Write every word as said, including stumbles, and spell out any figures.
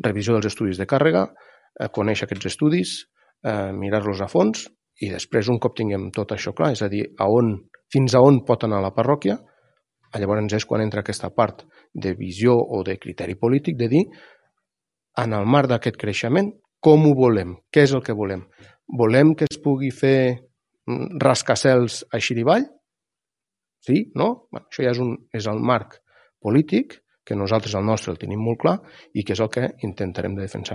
revisió dels estudis de càrrega, conèixer aquests estudis, mirar-los a fons i després, un cop tinguem tot això clar, és a dir, a on, fins a on pot anar la parròquia, llavors és quan entra aquesta part de visió o de criteri polític de dir, en el marc d'aquest creixement, com ho volem, què és el que volem. Volem que es pugui fer rascacels a Xirivall? Sí? No? Bueno, això ja és, un, és el marc polític, que nosaltres el nostre el tenim molt clar i que és el que intentarem de defensar.